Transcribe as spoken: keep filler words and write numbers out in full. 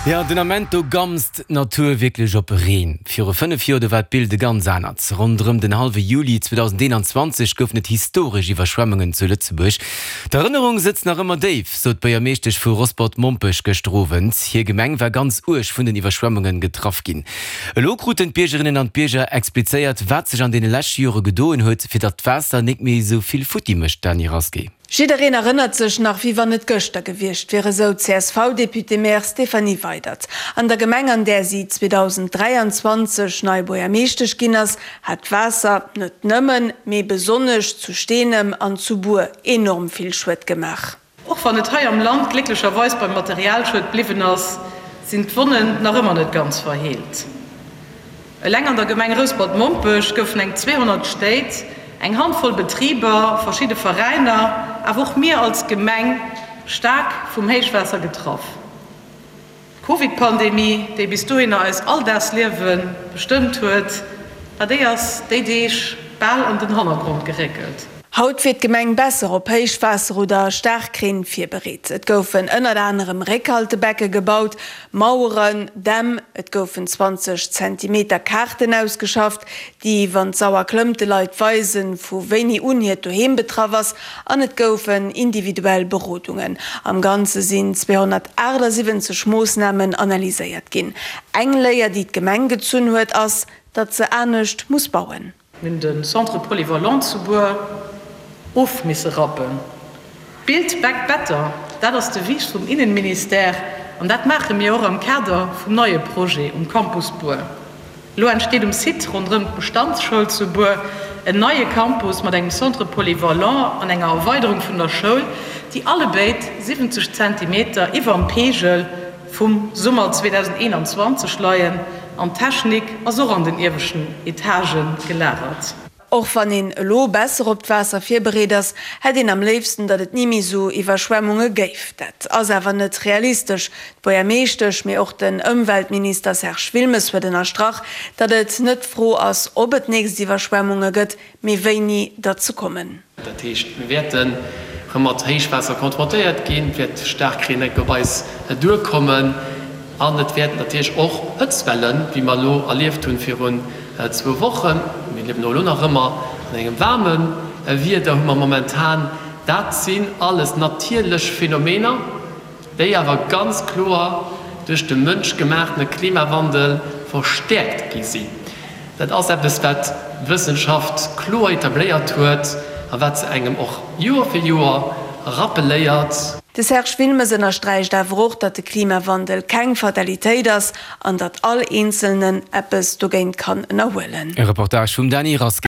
Jo, den Ament do gamst d'Natur wierklech op Reen. Viru fënnef Joer, do war d'Bild e ganz anert. Ronderëm den hallwe Juli zweedausendeenanzwanzeg goufen et historesch Iwwerschwemmungen zu Lëtzebuerg. D'Erënnerung sëtzt nach ëmmer déif, sot d'Buergermeeschtesch vu Rosport-Mompech gëschter Owend. Hir Gemeng war ganz uerg vun den Iwwerschwemmunge getraff ginn. Elo kruten d'Biergerinnen an d'Bierger explizéiert, wat sech an deene leschte Jore gedoen huet, fir datt d'Waasser nik méi esou vill futti mécht, Dany Rasqué. Jiddereen erënnert sech nach, wéi wann et gëschter gewiescht wier, esou d'CSV-Député-maire Stéphanie Weydert. An der Gemeng, an där si zweedausend dräianzwanzeg nei Buergermeeschtesch ginn ass, hat d'Waasser net nëmmen, mee besonnesch zu Steenem an zu Bur enorm vill Schued gemaach. Och wann et hei am Land glécklecherweis beim Materialschued bliwwen ass, sinn d'Wonnen nach ëmmer net ganz verheelt. Eleng an der Gemeng Rouspert-Mompech goufen eng zweehonnert Stéit, eng Handvoll Betriber, verschidde Veräiner, awer och mir als Gemeng staark vum Héichwaasser getraff. D'Covid-Pandemie, déi bis dohinner eis Alldagsliewe bestëmmt huet, ma déi ass déi Deeg bal an den Hannergrond geréckelt. Haut wier d'Gemeng besser op Héichwaasser oder Staarkreen virbereet. Et goufen ënnert anerem Réckhaltebecke gebaut, Maueren, Dämm, et goufen zwanzeg Zentimeter Kaarten ausgeschafft, déi, wann d'Sauer klëmmt, de Leit weisen, vu wéini un hiert Doheem betraff ass, an et goufen individuell Berodungen. Am Ganze sinn zweehonnertaachtsiwwenzeg Moossnamen analyséiert ginn. Eng Léier, déi d'Gemeng gezunn huet, ass, datt se anescht muss bauen. Mir hunn de Centre polyvalent zu Bur of misse rappen. Build back better, dat ass d'Devise vum Innenministère an dat maache mir och am Kader vum neie Projet um Campus Bur. Elo entsteet um Site ronderëm d'Bestandsschoul zu Bur en neie Campus mat engem Centre polyvalent an enger Erweiderung vun der Schoul, déi allebéid siwwenzeg Zentimeter iwwerm Peegel vum Summer zweedausendeenanzwanzeg leien an d'Technik ass och an den ieweschten Etagë gelagert. Och wann een elo besser op d'Waasser virbereet ass, hätt een am léifsten, datt et ni méi esou Iwwerschwemmunge géif. Dat ass awer net realistesch. D'Buergermeeschtesch, mee och den Ëmweltminister Serge Wilmes huet ënnerstrach, datt et net d'Fro ass, ob et nächst Iwwerschwemmunge gëtt, mee wéini der ze kommen. Dat heescht, mir wäerten erëm mat Héichwaasser konfrontéiert ginn, et wäert Staarkreen enk op eis duerkommen an et wäerten natierlech och Hëtztwellen, wéi mer elo erlieft hunn virun zwou Wochen, mir liewen och elo nach ëmmer an engem waarme Wieder, hu mer momentan, dat sinn alles natierlech Phänomener, déi awer ganz kloer duerch de mënschgemaachtene Klimawandel verstäerkt gi sinn. Dat ass eppes, wat d'Wëssenschaft kloer etabléiert huet a wat se engem och Joer fir Joer rappeléiert. De Serge Wilmes ënnersträicht awer och, datt de Klimawandel keng Fatalitéit ass an datt all Eenzelnen eppes dogéint kann ënnerhuelen. E Reportage vum Dany Rasqué.